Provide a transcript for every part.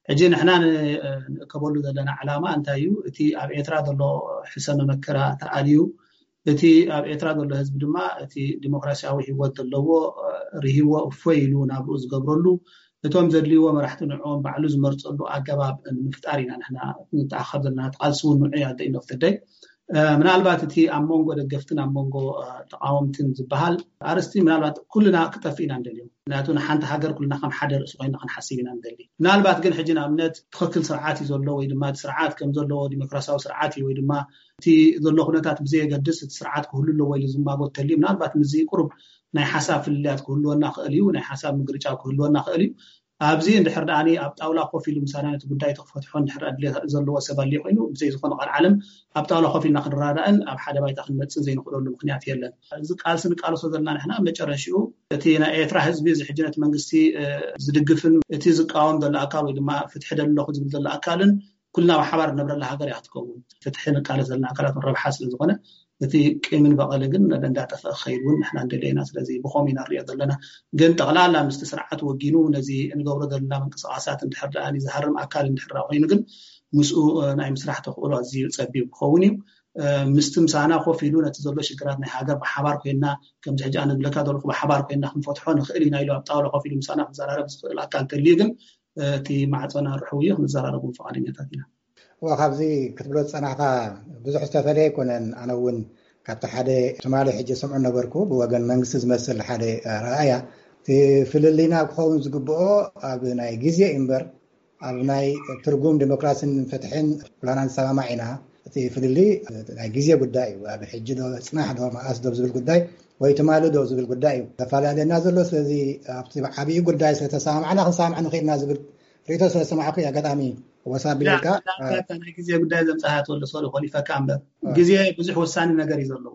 ሕጂ ንሕና ንእከበሉ ዘለና ዕላማ እንታይ እዩ? እቲ ኣብ ኤርትራ ዘሎ ሕሰመ መከራ ተኣልዩ፣ እቲ ኣብ ኤርትራ ዘሎ ህዝቢ ድማ እቲ ዲሞክራሲያዊ ህይወት ዘለዎ ርሂዎ እፎይ ኢሉ ናብኡ ዝገብረሉ፣ እቶም ዘድልይዎ መራሕቲ ንዕኦም ባዕሉ ዝመርፀሉ ኣገባብ ንምፍጣር ኢና ንሕና ንተኣኸብ ዘለና። ቃልሲ እውን ንዑ ኣደ ኢኖፍተደይ ምናልባት እቲ ኣብ መንጎ ደገፍትን ኣብ መንጎ ተቃወምትን ዝበሃል ኣርስቲ ምናልባት ኩልና ክጠፍ ኢና ንደልዮም። ምክንያቱ ንሓንቲ ሃገር ኩልና ከም ሓደ ርእሲ ኮይና ክንሓስብ ኢና ንደሊ። ምናልባት ግን ሕጂ ንኣብነት ትኽክል ስርዓት እዩ ዘሎ ወይ ድማ ስርዓት ከም ዘለዎ ዲሞክራሲያዊ ስርዓት እዩ ወይ ድማ እቲ ዘሎ ኩነታት ብዘየገድስ እቲ ስርዓት ክህሉ ኣለዎ ኢሉ ዝማጎት ተልዩ ምናልባት ምዚ ቁሩብ ናይ ሓሳብ ፍልልያት ክህልወና ክእል እዩ፣ ናይ ሓሳብ ምግርጫ ክህልወና ክእል እዩ። ኣብዚ እንድሕር ደኣ ኣብ ጣውላ ኮፍ ኢሉ ምሳና ነቲ ጉዳይ ተክፈትሖ እንድሕር ኣድልየት ዘለዎ ሰብ ኣልዩ ኮይኑ ብዘይ ዝኾነ ቃል ዓለም ኣብ ጣውላ ኮፍ ኢልና ክንረዳእን ኣብ ሓደ ባይታ ክንመፅን ዘይንኽእለሉ ምክንያት የለን። እዚ ቃልሲ ንቃልሶ ዘለና ንሕና መጨረሽኡ እቲ ናይ ኤርትራ ህዝቢ እዚ ሕጂ ነቲ መንግስቲ ዝድግፍን እቲ ዝቃወም ዘሎ ኣካል ወይ ድማ ፍትሒ ደለኹ ዝብል ዘሎ ኣካልን ኩልና ብሓባር ንነብረላ ሃገር እያ ክትከውን። ፍትሒ ንቃለስ ዘለና ኣካላት ረብሓ ስለ ዝኾነ እቲ ቂምን በቐልን ግን እንዳጠፍአ ክኸይድ እውን ንሕና እንደለየና። ስለዚ ብኸም ኢና ንሪኦ ዘለና። ግን ጠቕላላ ምስቲ ስርዓት ወጊኑ ነዚ እንገብሮ ዘለና ምንቅስቃሳት እንድሕር ደኣ ዝሃርም ኣካል እንድሕር ኮይኑ ግን ምስኡ ናይ ምስራሕ ተኽእሎ ኣዝዩ ፀቢብ ክኸውን እዩ። ምስቲ ምሳና ኮፍ ኢሉ ነቲ ዘሎ ሽግራት ናይ ሃገር ብሓባር ኮይና ከምዚ ሕጂ ኣነ ዝብለካ ዘለኹ ብሓባር ኮይና ክንፈትሖ ንኽእል ኢና ኢሉ ኣብ ጣውላ ኮፍ ኢሉ ምሳና ክዘራረብ ዝኽእል ኣካል ተልዩ ግን እቲ ማዕፀና ርሑው እዩ፣ ክንዘራረቡ ፈቃደኛታት ኢና። እዋ፣ ካብዚ ክትብሎ ዝጸናሕካ ብዙሕ ዝተፈለየ ኣይኮነን። ኣነ እውን ካብቲ ሓደ ትማሊ ሕጂ ስምዑ ነበርኩ፣ ብወገን መንግስቲ ዝመስል ሓደ ረኣያ። እቲ ፍልልይና ክኸውን ዝግብኦ ኣብ ናይ ግዜ እዩ እምበር ኣብ ናይ ትርጉም ዲሞክራሲን ፍትሕን ኩላና ንሰማማዕ ኢና። እቲ ፍልልይ ናይ ግዜ ጉዳይ እዩ። ኣብ ሕጂ ዶ ጽናሕ ዶ መኣስ ዶ ዝብል ጉዳይ ወይ ትማሊ ዶ ዝብል ጉዳይ እዩ ዘፈላለየና ዘሎ። ስለዚ ኣብቲ ዓብዪ ጉዳይ ስለተሰማማዕና ክንሰማማዕ ንኽእልና ዝብል ርእይቶ ስለዝሰማዕኩ እዩ። ኣጋጣሚ ወሳ ቢለልካ ናይ ግዜ ጉዳይ ዘምጻሃ ተወልደ ሶሪ ኮሊፈካ እምበር ግዜ ብዙሕ ወሳኒ ነገር እዩ ዘለዎ።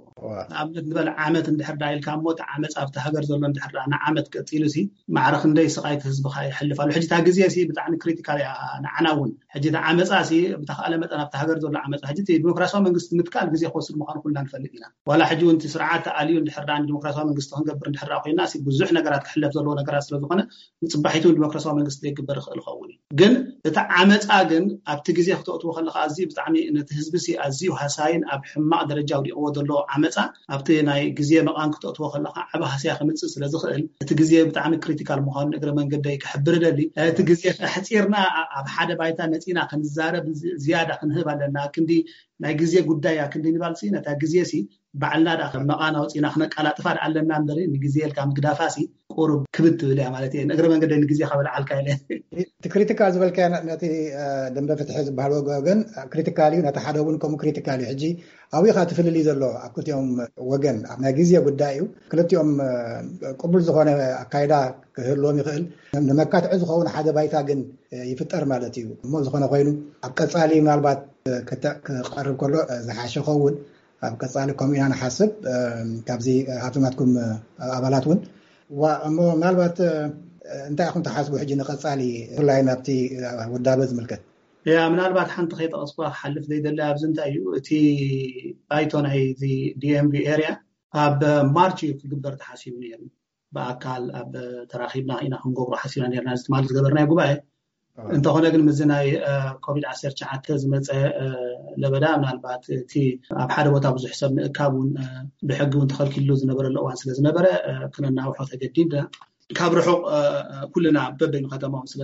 ንኣብነት ንበል ዓመት እንድሕር ዳ ኢልካ እሞ እቲ ዓመፅ ኣብቲ ሃገር ዘሎ እንድሕር ዳ ንዓመት ቀፂሉ ሲ ማዕረ ክንደይ ስቃይ እቲ ህዝብካ ይሕልፍ ኣሎ። ሕጂ እታ ግዜ ሲ ብጣዕሚ ክሪቲካል እያ ንዓና እውን። ሕጂ እቲ ዓመፃ ሲ ብተካእለ መጠን ኣብቲ ሃገር ዘሎ ዓመፃ ሕጂ እቲ ዲሞክራሲያዊ መንግስቲ ምትካል ግዜ ክወስድ ምኳኑ ኩልና ንፈልጥ ኢና። ዋላ ሕጂ እውን እቲ ስርዓት ተኣልዩ እንድሕር ዳ ንዲሞክራሲያዊ መንግስቲ ክንገብር እንድሕር ዳ ኮይና ሲ ብዙሕ ነገራት ክሕለፍ ዘለዎ ነገራት ስለዝኮነ ንፅባሒቱ ዲሞክራሲያዊ መንግስቲ ዘይግበር ይኽእል ይኸውን እዩ። ግን እቲ ዓመፃ ግን ኣብቲ ግዜ ክተእትዎ ከለካ ኣዝዩ ብጣዕሚ ነቲ ህዝቢ ሲ ኣዝዩ ሃሳይን ኣብ ሕማቅ ደረጃ ውዲቅዎ ዘሎ ዓመፃ ኣብቲ ናይ ግዜ መቃን ክተእትዎ ከለካ ዓብ ሃስያ ክምፅእ ስለዝኽእል እቲ ግዜ ብጣዕሚ ክሪቲካል ምኳኑ ንእግረ መንገደይ ክሕብር እደሊ። እቲ ግዜ ኣሕፂርና ኣብ ሓደ ባይታ መፂና ክንዛረብ ዝያዳ ክንህብ ኣለና። ክንዲ ናይ ግዜ ጉዳይ እያ ክንዲ ንባል ሲ ነታ ግዜ ሲ ባዕልና ዳ መቃን ኣውፂና ክነቃላጥፋ ዳ ኣለና እምበር ንግዜ ኢልካ ምግዳፋ ሲ ቁሩብ ክብድ ትብል እያ ማለት እየ። ንእግረ መንገደይ ንግዜ ከበልዓልካ ኢለ። እቲ ክሪቲካል ዝበልካዮ ነቲ ደንበ ፍትሒ ዝበሃል ወገን ክሪቲካል እዩ፣ ነቲ ሓደ እውን ከምኡ ክሪቲካል እዩ። ሕጂ ኣብኡ ኢኻ እቲ ፍልልይ ዘሎ ኣብ ክልቲኦም ወገን ኣብ ናይ ግዜ ጉዳይ እዩ። ክልቲኦም ቅቡል ዝኾነ ኣካይዳ ክህልዎም ይኽእል። ንመካትዒ ዝኸውን ሓደ ባይታ ግን ይፍጠር ማለት እዩ። እሞ ዝኾነ ኮይኑ ኣብ ቀፃሊ ምናልባት ክተዕ ክቐርብ ከሎ ዝሓሸ ኸውን ኣብ ቀፃሊ ከምኡ ኢና ንሓስብ። ካብዚ ሃብቲ ናትኩም ኣባላት እውን እሞ ምናልባት እንታይ ኢኹም ትሓስቡ ሕጂ ንቐፃሊ ብፍላይ ናብቲ ውዳበ ዝምልከት? ያ ምናልባት ሓንቲ ከይጠቐስኩ ክሓልፍ ዘይደለ ኣብዚ እንታይ እዩ እቲ ባይቶ ናይ ዲኤምቪ ኤርያ ኣብ ማርች እዩ ክግበር ተሓሲቡ ነይሩ። ብኣካል ኣብ ተራኺብና ኢና ክንገብሮ ሓሲብና ነርና እዚ ትማሊ ዝገበርናዮ ጉባኤ። እንተኾነ ግን ምዚ ናይ ኮቪድ ዓሰርተ ትሽዓተ ዝመፀ ለበዳ ምናልባት እቲ ኣብ ሓደ ቦታ ብዙሕ ሰብ ምእካብ እውን ብሕጊ እውን ተኸልኪሉ ዝነበረሉ እዋን ስለ ዝነበረ ክነናውሖ ተገዲድና። ካብ ርሑቕ ኩልና በበይኑ ከተማኦም ስለ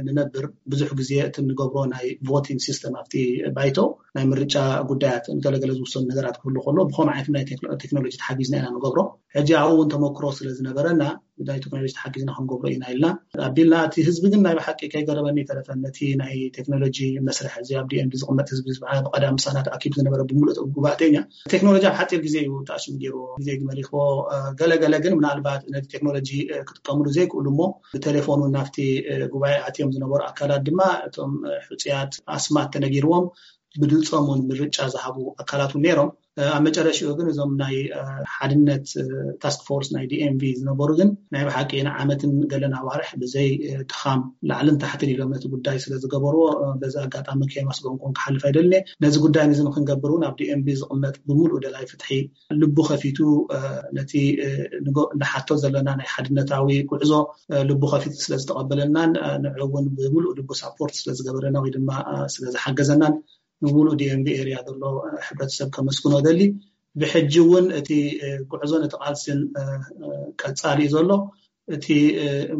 ንነብር ብዙሕ ግዜ እቲ ንገብሮ ናይ ቮቲንግ ሲስተም ኣብቲ ባይቶ ናይ ምርጫ ጉዳያት ገለገለ ዝውሰኑ ነገራት ክህሉ ከሎ ብኸምኡ ዓይነት ናይ ቴክኖሎጂ ተሓጊዝና ኢና ንገብሮ። ሕጂ ኣብኡ እውን ተመክሮ ስለ ዝነበረና ናይ ቴክኖሎጂ ተሓጊዝና ክንገብሮ ኢና ኢልና ኣቢልና። እቲ ህዝቢ ግን ናይ ብሓቂ ከይገረመኒ ይተረፈን ነቲ ናይ ቴክኖሎጂ መስርሕ እዚ ኣብ ዲኤምዲ ዝቕመጥ ህዝቢ ብቐዳም ምሳና ተኣኪቡ ዝነበረ ብምሉእ ጉባእተኛ ቴክኖሎጂ ኣብ ሓፂር ግዜ እዩ ተኣሽሙ ገይርዎ፣ ግዜ ግመል ይኽቦ። ገለገለ ግን ምናልባት ነቲ ቴክኖሎጂ ክጥቀምሉ ዘይክእሉ እሞ ብቴሌፎን እውን ናብቲ ጉባኤ ኣትዮም ዝነበሩ ኣካላት ድማ እቶም ሕፁያት ኣስማት ተነጊርዎም ብድምፆም እውን ምርጫ ዝሃቡ ኣካላት እውን ነይሮም። ኣብ መጨረሽኡ ግን እዞም ናይ ሓድነት ታስክ ፎርስ ናይ ዲኤምቪ ዝነበሩ ግን ናይ ብሓቂ ንዓመትን ገለን ኣዋርሕ ብዘይ ድኻም ላዕልን ታሕትን ኢሎም ነቲ ጉዳይ ስለዝገበርዎ፣ በዚ ኣጋጣሚ ከየመስገንኩም ክሓልፍ ኣይደልን። ነዚ ጉዳይ ንዚ ንክንገብር እውን ኣብ ዲኤምቪ ዝቕመጥ ብምሉእ ደላይ ፍትሒ ልቡ ከፊቱ ነቲ ንሓቶ ዘለና ናይ ሓድነታዊ ጉዕዞ ልቡ ከፊቱ ስለዝተቐበለናን ንዕኡ እውን ብምሉእ ልቡ ሳፖርት ስለዝገበረና ወይ ድማ ስለዝሓገዘናን ንሙሉእ ዲኤምቪ ኤርያ ዘሎ ሕብረተሰብ ከመስግኖ ደሊ። ብሕጂ እውን እቲ ጉዕዞን እቲ ቃልሲን ቀጻሊ እዩ ዘሎ። እቲ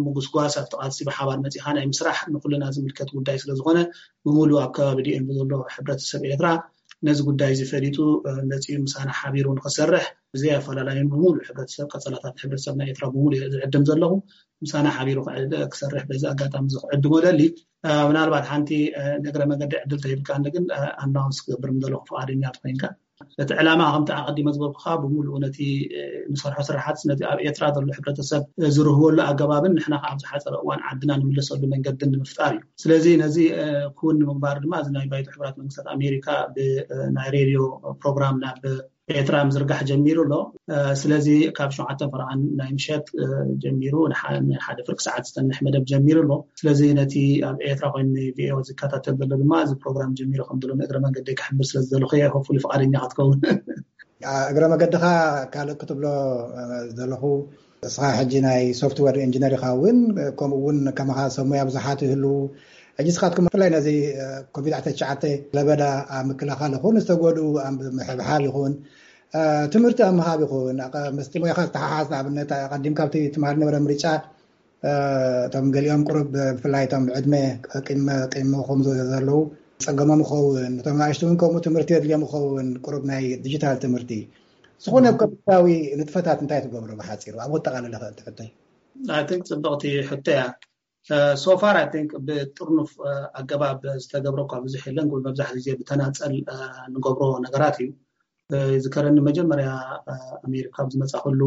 ምጉስጓስ ኣብቲ ቃልሲ ብሓባር መጺኻ ናይ ምስራሕ ንኩልና ዝምልከት ጉዳይ ስለዝኾነ፣ ብሙሉ ኣብ ከባቢ ዲኤምቪ ዘሎ ሕብረተሰብ ኤርትራ ነዚ ጉዳይ እዚ ፈሊጡ መጺኡ ምሳና ሓቢሩ ንክሰርሕ ብዘይ ኣፈላላይን ብሙሉ ሕብረተሰብ፣ ቀጸላታት ሕብረተሰብ ናይ ኤርትራ ብሙሉ እየ ዝዕድም ዘለኹ። ምሳና ሓቢሩ ክሰርሕ በዚ ኣጋጣሚ እዚ ክዕድሞ ደሊ። ምናልባት ሓንቲ ንእግረ መገዲ ዕድል ተሂብካ ግን ኣናውንስ ክገብር ምደለኹ ፍቓደኛ ትኮይንካ። እቲ ዕላማ ከምቲ ኣቐዲመ ዝበልኩኻ ብምሉኡ ነቲ ንሰርሖ ስራሓት ነቲ ኣብ ኤርትራ ዘሎ ሕብረተሰብ ዝርህወሉ ኣገባብን ንሕና ከዓ ኣብ ዝሓፀረ እዋን ዓድና ንምለሰሉ መንገድን ንምፍጣር እዩ። ስለዚ ነዚ ክውን ንምግባር ድማ እዚ ናይ ባይቶ ሕቡራት መንግስታት ኣሜሪካ ብናይ ሬድዮ ፕሮግራም ናብ ኤርትራ ምዝርጋሕ ጀሚሩ ኣሎ። ስለዚ ካብ ሸውዓተ ፈረቓን ናይ ምሸት ጀሚሩ ንሓደ ፍርቂ ሰዓት ዝፀንሕ መደብ ጀሚሩ ኣሎ። ስለዚ ነቲ ኣብ ኤርትራ ኮይኑ ቪኦኤ ዝከታተል ዘሎ ድማ እዚ ፕሮግራም ጀሚሩ ከም ዘሎ ንእግረ መንገዲ ክሕብር ስለ ዝደለኹ እየ። ሆፉሊ ፍቓደኛ ክትከውን። እግረ መገድኻ ካልእ ክትብሎ ዘለኹ፣ እስኻ ሕጂ ናይ ሶፍትዌር ኢንጂነር ኢኻ እውን፣ ከምኡ እውን ከማኻ ሰብ ሞያ ብዙሓት ይህልዉ። ሕጂ ስኻትኩም ብፍላይ ነዚ ኮቪድ ዓሰርተ ትሽዓተ ለበዳ ኣብ ምክልኻል ይኹን ዝተጎድኡ ኣብ ምሕብሓብ ይኹን ትምህርቲ ኣብ ምሃብ ይኹን ምስቲ ሞያኻ ዝተሓሓዝ ንኣብነት ኣቐዲምካ ኣብቲ ትምሃር ነበረ ምርጫ እቶም ገሊኦም ቁሩብ ብፍላይ እቶም ዕድመ ቅድመ ቅድመ ከም ዘለዉ ጸገሞም ይኸውን። እቶም ንኣሽቱ እውን ከምኡ ትምህርቲ የድልዮም ይኸውን። ቁሩብ ናይ ዲጂታል ትምህርቲ ዝኾነ ኮምፒውተራዊ ንጥፈታት እንታይ ትገብሩ ብሓጺሩ ኣብ ወጠቓለለ ትሕተይ? I think ጽብቕቲ ሕቶ እያ። So far I think ብጥርኑፍ ኣገባብ ዝተገብረ እኳ ብዙሕ የለን። መብዛሕትኡ ግዜ ብተናጸል ንገብሮ ነገራት እዩ። ዝከረኒ መጀመርያ ኣሜሪካ ኣብ ዝመጻኹሉ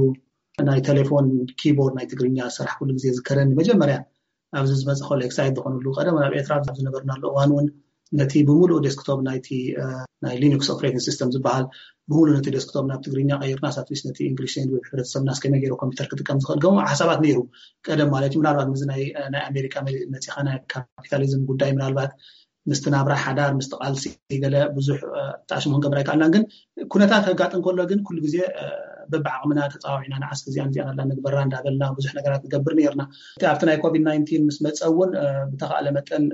ናይ ቴሌፎን ኪቦርድ ናይ ትግርኛ ዝሰራሕኩሉ ግዜ ዝከረኒ መጀመርያ ኣብዚ ዝመጻኹሉ ኤክሳይት ዝኾኑሉ ቀደም ኣብ ኤርትራ ኣብ ዝነበርናሉ እዋን እውን ነቲ ብምሉእ ዴስክቶፕ ናይቲ ናይ ሊኑክስ ኦፕሬቲንግ ሲስተም ዝበሃል ብምሉእ ነቲ ዴስክቶፕ ናብ ትግርኛ ቀይርና ሳትሊስ ነቲ እንግሊሽ ላንጉጅ ሕብረተሰብና እስከመይ ገይሩ ኮምፒውተር ክጥቀም ዝኽእል ገሞ ሓሳባት ነይሩ። ቀደም ማለት እዩ። ምናልባት ምዚ ናይ ኣሜሪካ መፂኻ ናይ ካፒታሊዝም ጉዳይ ምናልባት ምስቲ ናብራ ሓዳር ምስቲ ቃልሲ ገለ ብዙሕ ተኣሽሙ ክንገብር ኣይከኣልናን። ግን ኩነታት ከጋጥም ከሎ ግን ኩሉ ግዜ በብዓቕምና ተፃዋዒና ንዓስ እዚኣን እዚኣን ኣላ ንግበራ እንዳበልና ብዙሕ ነገራት ንገብር ነርና። ኣብቲ ናይ ኮቪድ ናይንቲን ምስ መፀ እውን ብተኻእለ መጠን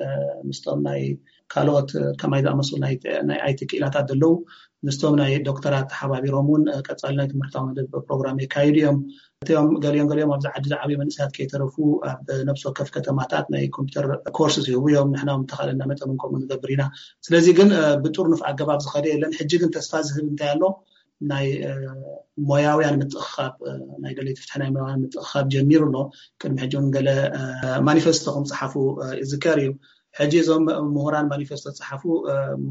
ምስቶም ናይ ካልኦት ከማይ ዝኣመሰሉ ናይ ኣይቲ ክኢላታት ዘለዉ ምስቶም ናይ ዶክተራት ተሓባቢሮም እውን ቀፃሊ ናይ ትምህርታዊ መደብ ፕሮግራም የካይዱ እዮም። እቲኦም ገሊኦም ገሊኦም ኣብዚ ዓዲ ዝዓብዩ መንእሰያት ከይተረፉ ኣብ ነብሲ ወከፍ ከተማታት ናይ ኮምፒውተር ኮርስ ይህቡ እዮም። ንሕና እውን ተኻእለና መጠን እውን ከምኡ ንገብር ኢና። ስለዚ ግን ብጥርኑፍ ኣገባብ ዝኸደ የለን። ሕጂ ግን ተስፋ ዝህብ እንታይ ኣሎ? ናይ ሞያውያን ምትእኽኻብ ናይ ደለይቲ ፍትሒ ናይ ሞያውያን ምትእኽኻብ ጀሚሩ ኣሎ። ቅድሚ ሕጂ እውን ገለ ማኒፌስቶ ከም ፀሓፉ ይዝከር እዩ። ሕጂ እዞም ምሁራን ማኒፌስቶ ዝፀሓፉ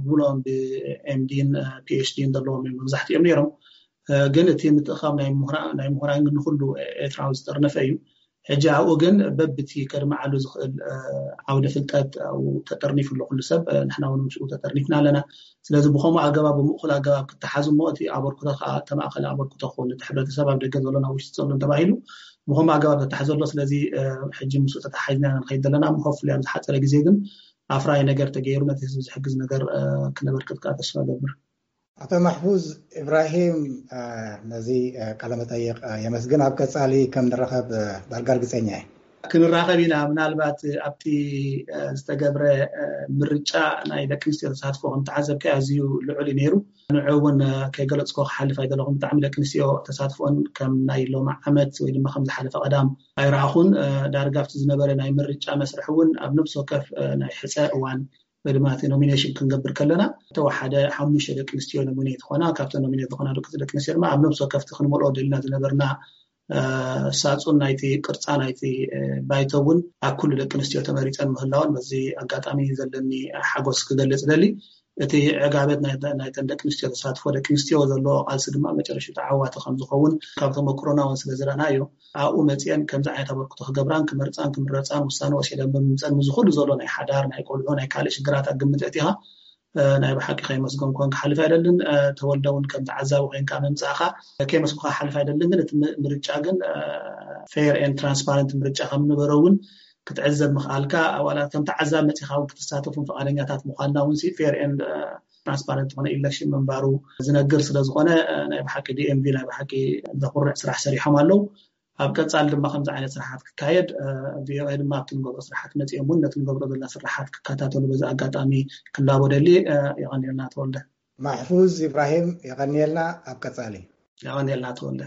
ሙሉኦም ብኤምዲን ፒኤችዲን ዘለዎም እዮም መብዛሕትኦም ነይሮም። ግን እቲ ምትእኻብ ናይ ምሁራን ግን ንኩሉ ኤርትራዊ ዝጠርነፈ እዩ። ሕጂ ኣብኡ ግን በብቲ ከድመዓሉ ዝኽእል ዓውደ ፍልጠት ኣብኡ ተጠርኒፉ ኣሎ ኩሉ ሰብ። ንሕና እውን ምስኡ ተጠርኒፍና ኣለና። ስለዚ ብኸምኡ ኣገባብ ብምእኩል ኣገባብ ክተሓዝ እሞ እቲ ኣበርክቶ ከዓ ተማእከለ ኣበርክቶ ክኸውን እቲ ሕብረተሰብ ኣብ ደገ ዘሎ ናብ ውሽጢ ዘሎ ተባሂሉ ብኸምኡ ኣገባብ ተታሒዙ ኣሎ። ስለዚ ሕጂ ምስኡ ተተሓሒዝና ኢና ንኸይድ ዘለና። ሆፕፉሊ ኣብ ዝሓፀረ ግዜ ግን ኣፍራይ ነገር ተገይሩ ነቲ ህዝቢ ዝሕግዝ ነገር ክነበርክት ከዓ ተስፋ እገብር። ኣቶ ማሕፉዝ ኢብራሂም ነዚ ቃለ መጠይቕ የመስግን። ኣብ ቀጻሊ ከም ንራኸብ ዳርጋ ርግጸኛ እየ። ክንራኸብ ኢና። ምናልባት ኣብቲ ዝተገብረ ምርጫ ናይ ደቂ ኣንስትዮ ተሳትፎ ከም ተዓዘብካዮ ኣዝዩ ልዑል እዩ ነይሩ። ንዑ እውን ከይገለጽኮ ክሓልፍ ኣይደለኹም። ብጣዕሚ ደቂ ኣንስትዮ ተሳትፎን ከም ናይ ሎሚ ዓመት ወይ ድማ ከም ዝሓለፈ ቀዳም ኣይረኣኹን። ዳርጋ ኣብቲ ዝነበረ ናይ ምርጫ መስርሕ እውን ኣብ ነብሲ ወከፍ ናይ ሕጸ እዋን ወይ ድማ እቲ ኖሚኔሽን ክንገብር ከለና እተወሓደ ሓሙሽተ ደቂ ኣንስትዮ ኖሚኔት ዝኾና፣ ካብተን ኖሚኔት ዝኾና ደቂ ደቂ ኣንስትዮ ድማ ኣብ ነብሲ ወከፍቲ ክንመልኦ ደልና ዝነበርና ሳጹን ናይቲ ቅርጻ ናይቲ ባይቶ እውን ኣብ ኩሉ ደቂ ኣንስትዮ ተመሪጸን ምህላወን በዚ ኣጋጣሚ ዘለኒ ሓጎስ ክገልጽ ደሊ። እቲ ዕጋበት ናይተን ደቂ ኣንስትዮ ተሳትፎ ደቂ ኣንስትዮ ዘለዎ ቃልሲ ድማ መጨረሽታ ዓዋቲ ከም ዝኸውን ካብ ተመክሮና እውን ስለ ዝረእናዮ ኣብኡ መፅአን ከምዚ ዓይነት ኣበርክቶ ክገብራን ክመርፃን ክምረፃን ውሳነ ወሲደን ብምምፀን ምዚ ኩሉ ዘሎ ናይ ሓዳር ናይ ቆልዑ ናይ ካልእ ሽግራት ኣብ ግምት ኣእቲኻ ናይ ብሓቂ ከይመስገንኩ ክሓልፍ ኣይደልን። ተወልደ እውን ከም ተዓዛቢ ኮይንካ ምምፃእካ ከይመስኩካ ክሓልፍ ኣይደልን። ግን እቲ ምርጫ ግን fair and transparent ምርጫ ከም ነበረ እውን ክትዕዘብ ምኽኣልካ፣ ዋላ ከም ተዓዛቢ መፂኻ እውን ክትሳተፉን ፍቓደኛታት ምዃንና እውን fair and transparent ዝኾነ election ምንባሩ ዝነግር ስለዝኾነ ናይ ብሓቂ DMV ናይ ብሓቂ ዘኹርዕ ስራሕ ሰሪሖም ኣለዉ። ኣብ ቀፃሊ ድማ ከምዚ ዓይነት ስራሓት ክካየድ VOA ድማ ኣብቲ ንገብሮ ስራሓት መፂኦም እውን ነቲ ንገብሮ ዘለና ስራሓት ክከታተሉ በዚ ኣጋጣሚ ክላቦ ደሊ። የቐንየልና ተወልደ። ማሕፉዝ ኢብራሂም የቐንየልና። ኣብ ቀፃሊ የቐንየልና ተወልደ።